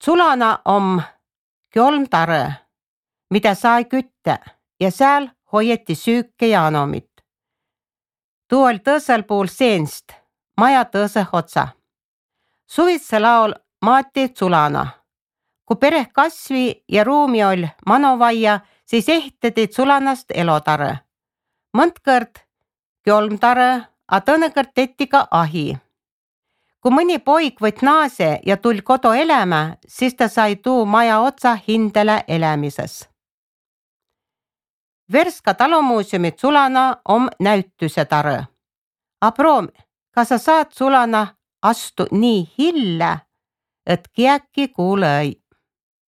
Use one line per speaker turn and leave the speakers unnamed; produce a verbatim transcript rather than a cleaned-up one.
Sulana om kolmtare, mida sai kütta ja seal hoieti süüke ja anomit. Tuu oli tõõsel puul seenst, maja tõõse otsa. Suvitse laul maati Sulana. Kui pereh kasvi ja ruumi oli manovaia, siis ehitati Sulanast elotare. Mõndkõrd kolmtare, a tõnekõrd tetti ka ahi. Kui mõni poik võt naase ja tul kodu elämä, siis ta sai tuu maja otsa hindele elämises. Verska talumuuseumit Sulana om näütüse tare. A proom, kas sa saad Sulana astu nii hille, et kiäki kuule ei?